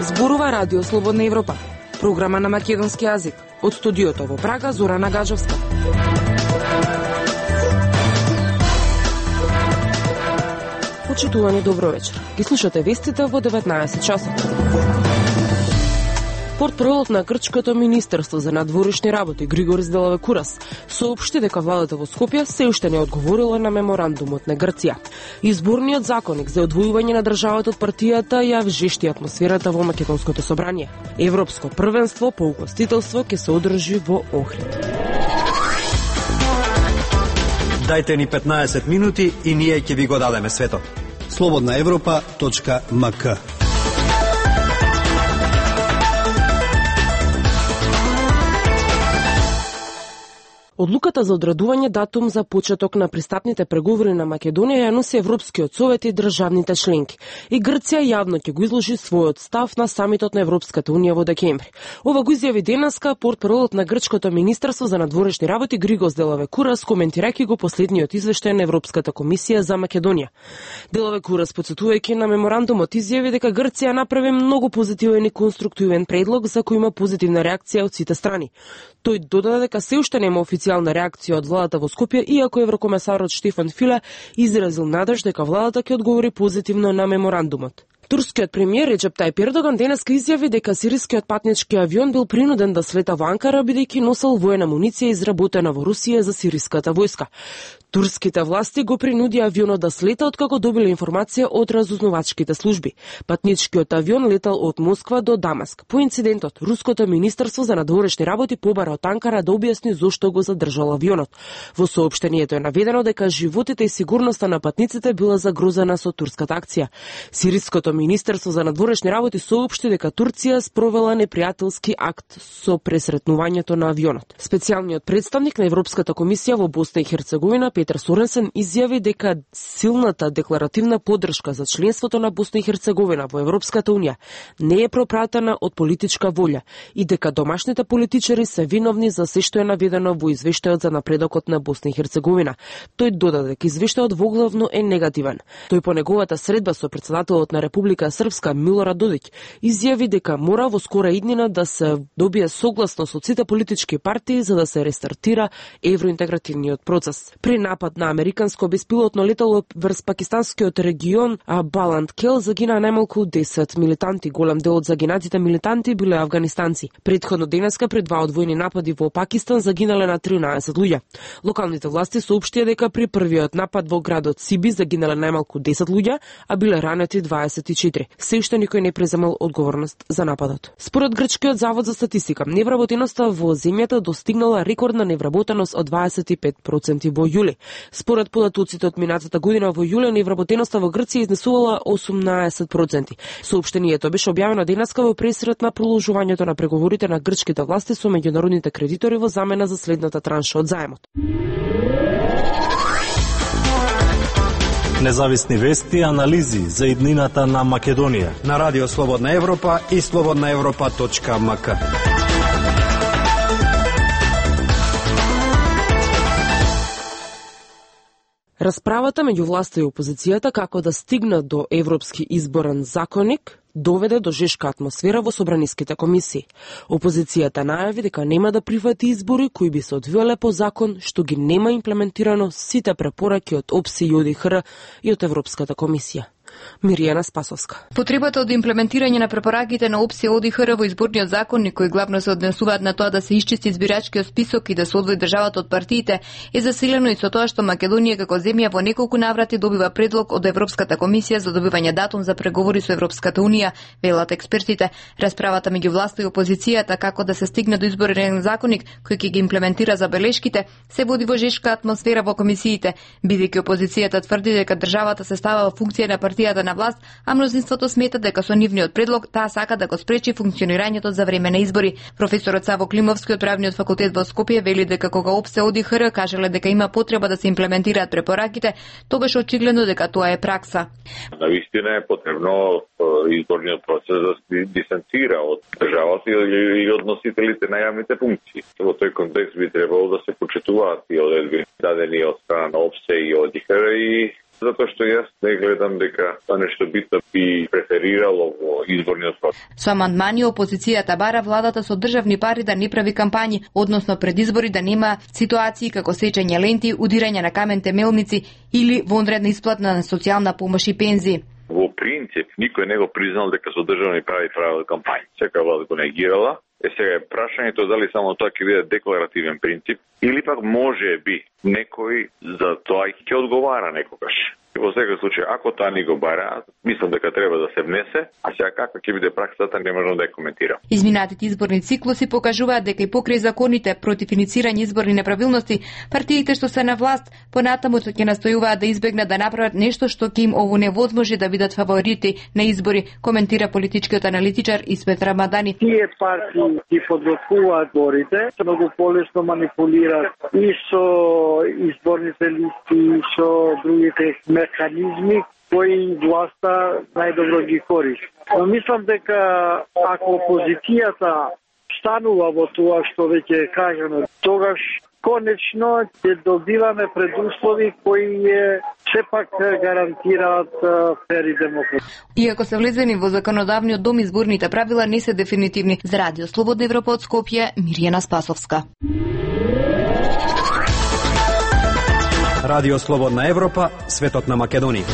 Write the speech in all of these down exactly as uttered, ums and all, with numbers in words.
Зборува Радио Слободна Европа, програма на македонски јазик. Од студиото во Прага, Зорана Гаджовска. Почитувани, добро вечер. Ги слушате вестите во деветнаесет часот. Портпаролот на Грчкото министерство за надворешни работи Григорис Делавекурас соопшти дека владата во Скопје се уште не одговорила на меморандумот на Грција. Изборниот законник за одвојување на државата од партијата ја вжешти атмосферата во македонското собрание. Европско првенство по угостителство ќе се одржи во Охрид. Дајте ни петнаесет минути и ние ќе ви го дадеме светот. слободна европа точка ем ка. Одлуката за одредување датум за почеток на пристапните преговори на Македонија ја носи Европскиот совет и државните членки. И Грција јавно ќе го изложи својот став на самитот на Европската унија во декември. Ова го изјави денеска портпаролот на Грчкото министерство за надворешни работи Григорис Делавекурас, коментирајќи го последниот извештај на Европската комисија за Македонија. Делавекурас, потсетувајќи на меморандумот, изјави дека Грција направи многу позитивен и конструктивен предлог за кој има позитивна реакција од сите страни. Тој додаде дека се уште нема официјална реакција од владата во Скопје, иако еврокомесарот Штефан Филе изразил надеж дека владата ќе одговори позитивно на меморандумот. Турскиот премиер Реджеп Тајип Ердоган денеска изјави дека сирискиот патнички авион бил принуден да слета во Анкара бидејќи носел воена амуниција изработена во Русија за сириската војска. Турските власти го принудија авионот да слета откако добиле информација од разузнавачките служби. Патничкиот авион летал од Москва до Дамаск. По инцидентот, Руското министерство за надворешни работи побара од Анкара да објасни зошто го задржал авионот. Во соопштението е наведено дека животите и сигурноста на патниците била загрозена со турската акција. Сириското министерство за надворешни работи соопшти дека Турција спровела непријателски акт со пресретнувањето на авионот. Специјалниот представник на Европската комисија во Босна и Херцеговина Петер Соренсен изјави дека силната декларативна поддршка за членството на Босна и Херцеговина во Европската унија не е пропратена од политичка волја и дека домашните политичари се виновни за се што е наведено во извештајот за напредокот на Босна и Херцеговина. Тој додаде дека извештајот воглавно е негативен. Тој по неговата средба со председателот на Република Српска Милорад Додик изјави дека мора во скора иднина да се добие согласност од сите политички партии за да се рестартира евроинтегративниот процес. При напад на американско беспилотно летало врз пакистанскиот регион Баланд Кел загина најмалку десет милитанти. Голем дел од загинатите милитанти биле афганистанци. Предходно денеска при два одвоени напади во Пакистан загинале на тринаесет луѓе. Локалните власти соопштија дека при првиот напад во градот Сиби загинале најмалку десет луѓе, а биле ранети дваесет и четири. Се уште никој не преземал одговорност за нападот. Според Грчкиот завод за статистика, невработеноста во земјата достигнала рекордна невработеност од дваесет и пет проценти во јули. Според податоците од минатата година во јуле, невработеноста во Грција изнесувала осумнаесет проценти. Соопштението беше објавено денеска во пресрет на продолжувањето на преговорите на грчките власти со меѓународните кредитори во замена за следната транша од заемот. Независни вести и анализи за иднината на Македонија на Радио Слободна Европа и слободна европа точка ем ка. Расправата меѓу власта и опозицијата како да стигнат до европски изборен законник доведе до жешка атмосфера во собраниските комисии. Опозицијата најави дека нема да прифати избори кои би се одвиеле по закон, што ги нема имплементирано сите препораки од ОПСИ и ОДИХР и од Европската комисија. Миријана Спасовска. Потребата од имплементирање на препораките на ОПСИ и ОДИХР во изборниот законник, кои главно се однесуваат на тоа да се исчисти избирачкиот список и да се одвои државата од партиите, е засилено и со тоа што Македонија како земја во неколку наврати добива предлог од Европската комисија за добивање датум за преговори со Европската унија, велат експертите. Расправата меѓу власта и опозицијата како да се стигне до изборен законник кој ќе ги имплементира забелешките, се води во жешка атмосфера во комисиите, бидејќи опозицијата тврди дека државата се става во функција на партија партијата на власт, а мнозинството смета дека со нивниот предлог таа сака да го спречи функционирањето за време на избори. Професорот Саво Климовски од Правниот факултет во Скопје вели дека кога ОПСЕ ОДИХР кажале дека има потреба да се имплементираат препораките, то беше очигледно дека тоа е пракса. Навистина е потребно изборниот процес да се дистанцира од државата и од носителите на јавните функции. Во тој контекст би требало да се почитуваат и одредби дадени од страна на ОПСЕ и ОДИХР, и затоа што јас не гледам дека тоа нешто битно би преферирало во изборниот процес. Со амандмани опозицијата бара владата со државни пари да не прави кампањи, односно пред избори да нема ситуации како сечење ленти, удирање на камен темелници или вонредна исплатна на социјална помош и пензии. Во принцип, никој не го признал дека со државни пари правил кампањи. Секоја влада го негирала. Е сега е прашањето дали само тоа ќе биде декларативен принцип или пак може би некој за тоа ќе одговара некогаш. Во секој случај, ако тоа ни го бара, мислам дека треба да се внесе, а сега каква ќе биде праксата не можам да ја коментирам. Изминатите изборни циклуси покажуваат дека и покрај законите против иницирање изборни неправилности, партиите што се на власт понатаму ќе настојуваат да избегнат да направат нешто што ќе им овоневозможи да бидат фаворити на избори, коментира политичкиот аналитичар Исмет Рамадани. Тие партии ги подготвуваат изборите, многу полесно манипулираат и со изборните листи, и со другите механизми кои власта најдобро ги користи. Но мислам дека ако опозицијата станува во тоа што веќе е кажано, тогаш конечно ќе добиваме предуслови кои е сепак гарантираат фер и демократија. Иако се влезени во законодавниот дом, изборните правила не се дефинитивни. За Радио Слободна Европа од Скопје, Миријана Спасовска. Радио Слободна Европа, светот на Македонија.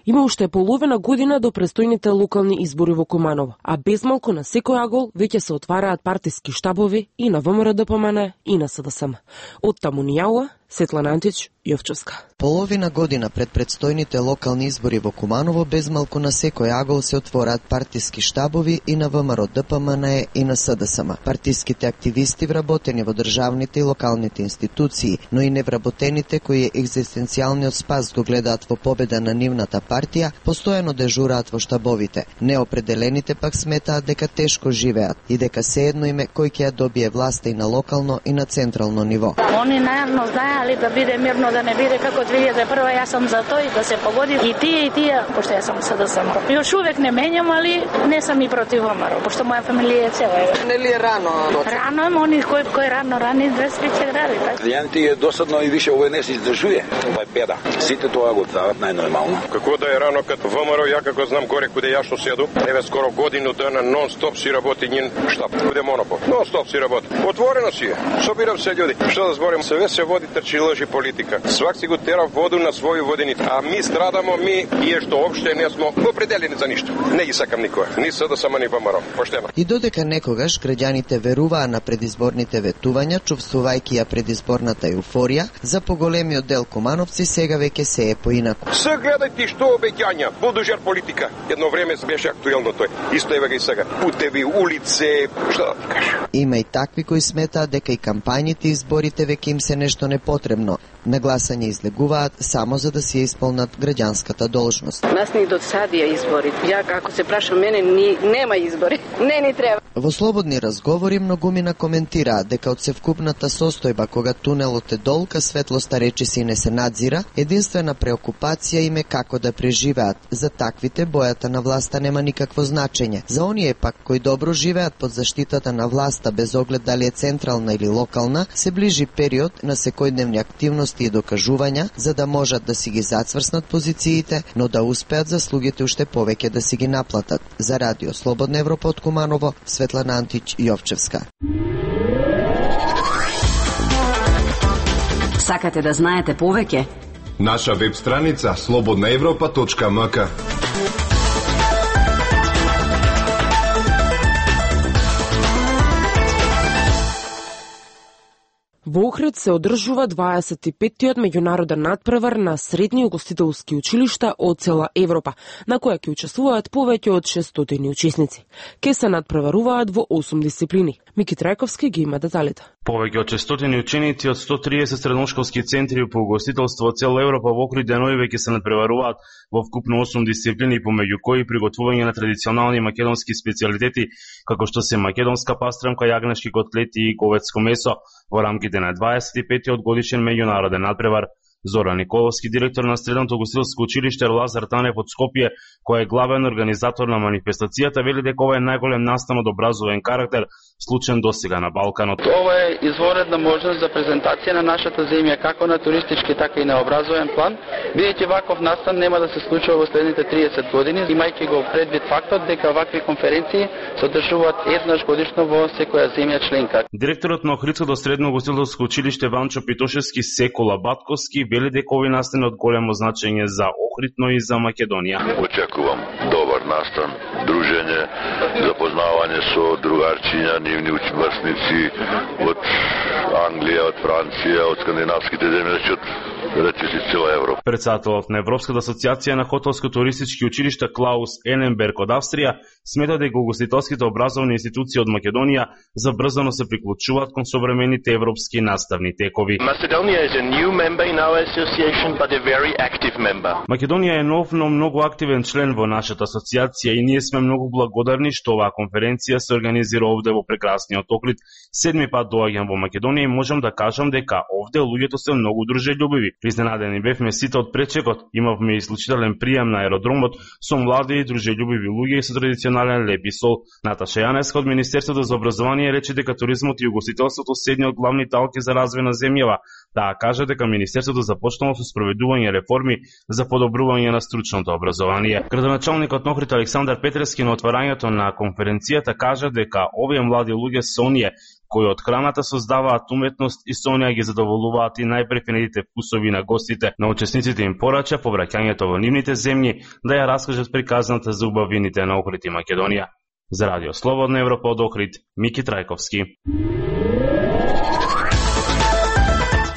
Има уште половина година до престојните локални избори во Куманово, а безмалку на секој агол веќе се отвараат партиски штабови и на ВМРО-ДПМН и на СДСМ. Од таму ни јауа Светлана Антич, Јовчевска. Половина година пред предстојните локални избори во Куманово, безмалку на секој агол се отвораат партиски штабови и на ВМРО-ДПМН и на СДСМ. Партиските активисти вработени во државните и локалните институции, но и невработените кои екзистенцијалниот спас го гледаат во победа на нивната партија, постојано дежураат во штабовите. Неопределените пак сметаат дека тешко живеат и дека сеедно име кој ќе ја добие власта и на локално и на централно ниво. Они најавно знаеле да биде мирно, да не биде како две илјади и прва. Јас сум за тој да се погоди и тие и тие, пошто јас сум СДСМ. Још увек не менјам, али не сум и против ВМРО, пошто моја фамилија е цела. Нели е рано? Рано е, они кој кој рано рани двести ќе гради. Клиенти е досадно и више овој не се издржува. Ова е беда. Сите тоа го прават најнормално. Како да е рано като ВМРО, ја како знам горе куде ја што седу, еве скоро годину дена нон-стоп си работи нин штаб. Куде монопол. Нон-стоп си работи. Отворено си е. Собирам се људи. Што да зборим, се се води трчи лжи политика. Свак си го тера воду на своју водените. А ми страдамо, ми и што опште не смо определени за ништо. Не ги сакам никоја. Ни СДСМ ни ВМРО. Поштено. И додека некогаш граѓаните веруваа на предизборните ветувања, чувствувајќи ја предизборната еуфорија, за поголемиот дел кумановци сега веќе се е поинаку. Се гледај ти што обеќања, булдожер политика. Едно време беше актуелно тој. Исто еве и сега. Путеви, улице, што да ти кажам. Има и такви кои сметаат дека и кампањите и изборите веќе им се нешто непотребно. На гласање излегуваат само за да си исполнат граѓанската должност. Нас ни досадија избори. Ја како се прашам мене, ни нема избори. Не ни треба. Во слободни разговори многумина коментираат дека од севкупната состојба кога тунелот е долга, светлоста речиси не се надзира, единствена преокупација им е како да преживеат. За таквите бојата на власта нема никакво значење. За оние пак кои добро живеат под заштитата на власта без оглед дали е централна или локална, се ближи период на секојдневни активности и докажувања за да можат да си ги зацврснат позициите, но да успеат заслугите уште повеќе да си ги наплатат. За Радио Слободна Европа од Куманово, Светлана Антич, Јовчевска. Сакате да знаете повеќе? Наша веб страница слободна европа точка ем ка. Во Охрид се одржува дваесет и петтиот меѓународен надпревар на средни угостителски училишта од цела Европа, на која ќе учествуваат повеќе од шестстотини учесници. Ке се надпреваруваат во осум дисциплини. Мики Трајковски ги има деталите. Повеќе од шестстотини ученици од сто триесет средношколски центри по угостителство од цела Европа во околу денови веќе се надпреваруваат во вкупно осум дисциплини, помеѓу кои приготвување на традиционални македонски специјалитети, како што се македонска пастрамка, јагнешки котлети и говедско месо во рамките на дваесет и петиот годишен меѓународен надпревар. Зоран Николовски, директор на Средното угостителско училиште Лазар Танев од Скопје, кој е главен организатор на манифестацијата, вели дека ова е најголем настан од образовен карактер случен досега на Балканот. Ова е изворедна можност за презентација на нашата земја како на туристички, така и на образовен план, бидејќи ваков настан нема да се случува во следните триесет години, имајќи го предвид фактот дека вакви конференции се одржуваат еднаш годишно во секоја земја членка. Директорот на Охридското средно угостителско училиште Ванчо Питошевски Секола Батковски вели дека овој настан е од големо значење за Охрид, но и за Македонија. Очекувам добар настан, дружење, запознавање со другарчиња, нивни врсници од Англија, од Франција, од скандинавските земји, од речиси цела Европа. Председателот на Европската асоциација на хотелско-туристички училишта Клаус Ененберг од Австрија смета дека угостителските образовни институции од Македонија забрзано се приклучуваат кон современите европски наставни текови. Македонија е нов, но многу активен член во нашата асоциација и ние сме многу благодарни што оваа конференција се организира овде во прекрасниот Охрид. Седми пат доаѓам во Македонија и можам да кажам дека овде луѓето се многу дружелюбиви. Изненадени бевме сите од пречекот, имавме исклучителен прием на аеродромот со млади и дружелюбиви луѓе и со традиционален леп и сол. Наташа Јанеска од Министерството за образование рече дека туризмот и угостителството се едни од главни талки за развој на земјава. Таа кажа дека Министерството започнало со спроведување реформи за подобрување на стручното образование. Градоначалникот на Охрид Александар Петрески на отварањето на конференцијата кажа дека овие млади луѓе се оние кои од храната создаваат уметност и со неа ги задоволуваат и најпрефинетите вкусови на гостите. На учесниците им порача по враќањето во нивните земји да ја раскажат приказната за убавините на Охрид и Македонија. За Радио Слободна Европа од Охрид, Мики Трајковски.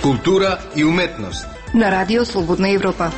Култура и уметност на Радио Слободна Европа.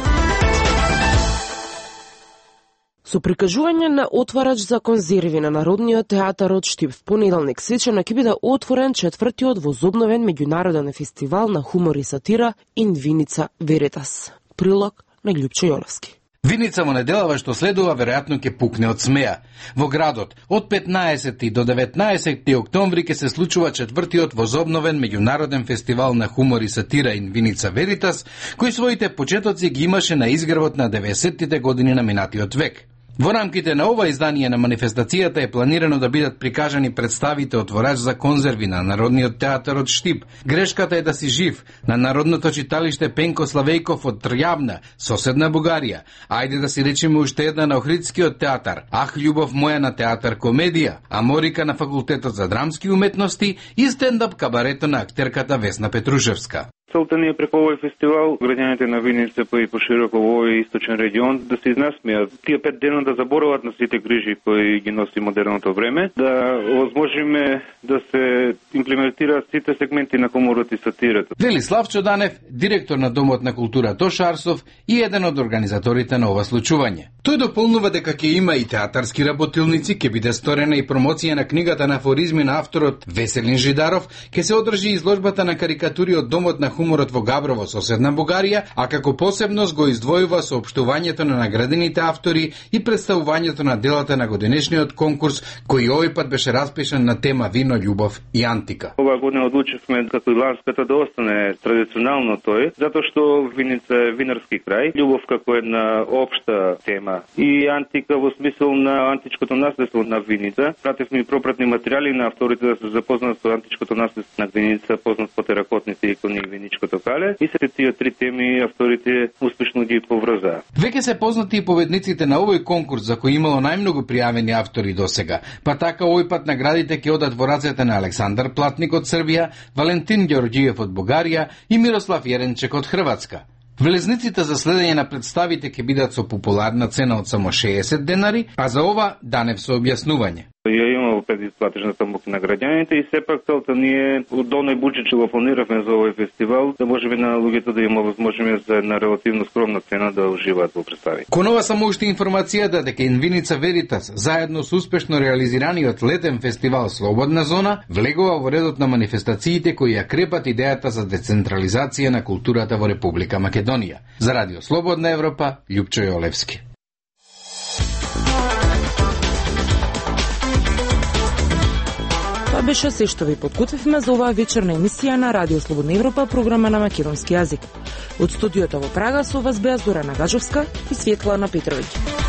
Со прикажување на отварач за конзерви на Народниот театар од Штип в понеделник свечено ќе биде отворен четвртиот возобновен меѓународен фестивал на хумор и сатира Инвиница Веритас. Прилог на Љупчо Јоловски. Виница во неделава што следува веројатно ќе пукне од смеа. Во градот од петнаесети до деветнаесети октомври ќе се случува четвртиот возобновен меѓународен фестивал на хумор и сатира Инвиница Веритас, кој своите почетоци ги имаше на изгревот на деветдесеттите години на минатиот век. Во рамките на ова издание на манифестацијата е планирано да бидат прикажани представите отворач за конзерви на Народниот театар од Штип. Грешката е да си жив на Народното читалиште Пенко Славејков од Трјавна, соседна Бугарија. Ајде да си речеме уште една на Охридскиот театар, Ах, љубов моја на театар Комедија, Аморика на Факултетот за драмски уметности и стендап кабарето на актерката Весна Петрушевска. Целта ни е преку овој фестивал, граѓаните на Виница па и пошироко во овој источен регион да се изнасмеат тие пет дена да заборават на сите грижи кои ги носи модерното време, да возможиме да се имплементираат сите сегменти на хуморот и сатирата. Вели Славчо Данев, директор на Домот на култура Тош Арсов и еден од организаторите на ова случување. Тој дополнува дека ќе има и театарски работилници, ќе биде сторена и промоција на книгата на афоризми на авторот Веселин Жидаров, ќе се одржи изложбата на карикатури од Домот на хуморот во Габрово, соседна Бугарија, а како посебност го издвојува соопштувањето на наградените автори и представувањето на делата на годинешниот конкурс, кој овој пат беше распишан на тема вино, љубов и антика. Оваа година одлучивме како и ланската да остане традиционално тој, затоа што Виница е винарски крај, љубов како една општа тема и антика во смисол на античкото наследство на Виница. Пративме и пропратни материјали на авторите да се запознаат со античкото наследство на Виница, познат по теракотните икони и виничкото кале, и се тие три теми авторите успешно ги поврзаа. Веќе се познати и победниците на овој конкурс за кој имало најмногу пријавени автори досега. Па така овој пат наградите ќе одат во рацете на Александар Платник од Србија, Валентин Ѓорѓиев од Бугарија и Мирослав Јеренчек од Хрватска. Влезниците за следење на представите ќе бидат со популарна цена од само шеесет денари, а за ова Данев со објаснување. Ја имало предисплатежната мука на граѓаните и сепак целта ни е од оној буџет што го планиравме за овој фестивал да можеме на луѓето да има возможност за една релативно скромна цена да уживаат во представи. Кон ова само уште информацијата дека Инвиница Веритас заедно со успешно реализираниот летен фестивал Слободна зона влегува во редот на манифестациите кои ја крепат идејата за децентрализација на културата во Република Македонија. За Радио Слободна Европа, Љупчо Јолевски. Тоа беше се што ви подготвивме за оваа вечерна емисија на Радио Слободна Европа, програма на македонски јазик. Од студиото во Прага со вас беа Зорана Гаджовска и Светлана Петровиќ.